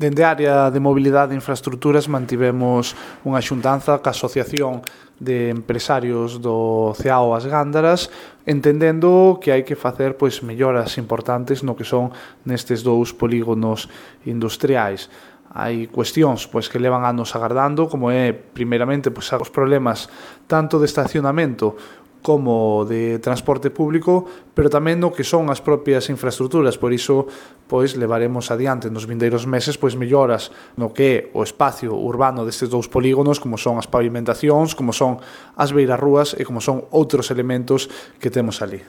Dende a área de mobilidade e infraestructuras mantivemos unha xuntanza ca Asociación de Empresarios do Ceao As Gándaras, entendendo que hai que facer melloras importantes no que son nestes dous polígonos industriais. Hai cuestións que levan anos agardando, como é, primeiramente, os problemas tanto de estacionamento como de transporte público, pero tamén no que son as propias infraestructuras. Por iso, levaremos adiante nos vindeiros meses melloras no que é o espacio urbano destes dous polígonos, como son as pavimentacións, como son as beirarrúas e como son outros elementos que temos ali.